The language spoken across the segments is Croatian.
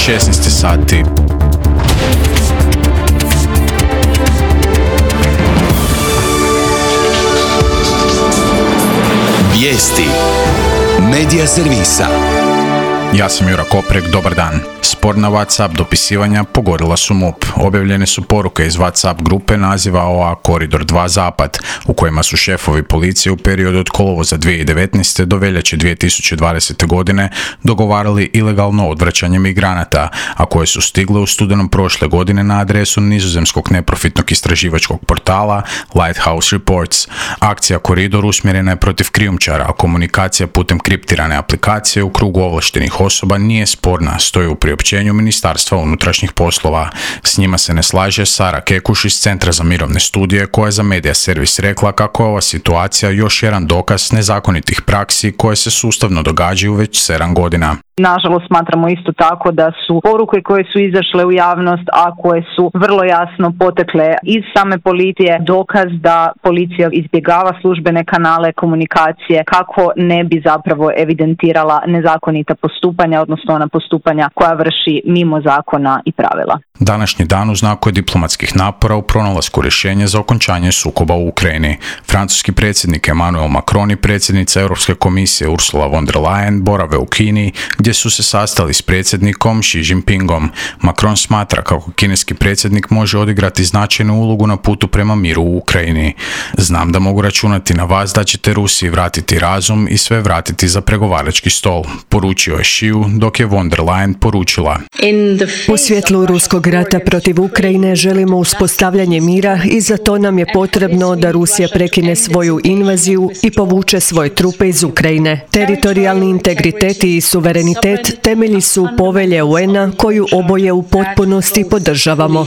16 sati. Vijesti Medija servisa. Ja sam Jura Koprek, dobar dan. Sporna WhatsApp dopisivanja pogodila su MUP. Objavljene su poruke iz WhatsApp grupe naziva OA Koridor 2 Zapad, u kojima su šefovi policije u periodu od kolovoza 2019. do veljače 2020. godine dogovarali ilegalno odvraćanje migranata, a koje su stigle u studenom prošle godine na adresu nizozemskog neprofitnog istraživačkog portala Lighthouse Reports. Akcija Koridor usmjerena je protiv krijumčara, a komunikacija putem kriptirane aplikacije u krugu ovlaštenih osoba nije sporna, stoji u priopćenju Ministarstva unutrašnjih poslova. S njima se ne slaže Sara Kekuš iz Centra za mirovne studije, koja je za Medija servis rekla kako je ova situacija još jedan dokaz nezakonitih praksi koje se sustavno događaju već 7 godina. Nažalost, smatramo isto tako da su poruke koje su izašle u javnost, a koje su vrlo jasno potekle iz same policije, dokaz da policija izbjegava službene kanale komunikacije kako ne bi zapravo evidentirala nezakonita postupanja, odnosno ona postupanja koja vrši mimo zakona i pravila. Današnji dan u znaku je diplomatskih napora u pronalasku rješenja za okončanje sukoba u Ukrajini. Francuski predsjednik Emmanuel Macron i predsjednica Europske komisije Ursula von der Leyen borave u Kini, gdje su se sastali s predsjednikom Xi Jinpingom. Macron smatra kako kineski predsjednik može odigrati značajnu ulogu na putu prema miru u Ukrajini. Znam da mogu računati na vas da ćete Rusiji vratiti razum i sve vratiti za pregovarački stol, poručio je Xiu, dok je von der Leyen poručila: U svjetlu ruskog rata protiv Ukrajine želimo uspostavljanje mira i za to nam je potrebno da Rusija prekine svoju invaziju i povuče svoje trupe iz Ukrajine. Teritorijalni integritet i suverenitet temelji su povelje UN-a koju oboje u potpunosti podržavamo.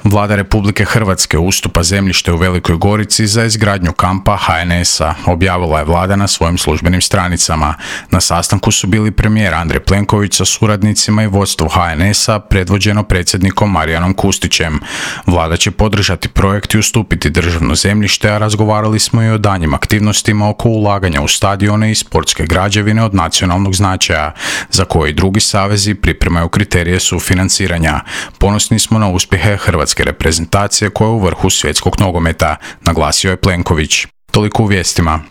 Vlada Republike Hrvatske ustupa zemljište u Velikoj Gorici za izgradnju kampa HNS-a, objavila je vlada na svojim službenim stranicama. Na sastanku su bili premijer Andrej Plenković sa suradnicima i vodstvo HNS-a predvođeno predsjednikom Marijanom Kustićem. Vlada će podržati projekt i ustupiti državno zemljište, a razgovarali smo i o daljnjim aktivnostima oko ulaganja u stadione i sportske građevine od nacionalnog značaja, za koje i drugi savezi pripremaju kriterije sufinanciranja. Ponosni smo na uspjehe hrvatske reprezentacije koja je u vrhu svjetskog nogometa, naglasio je Plenković. Toliko u vijestima.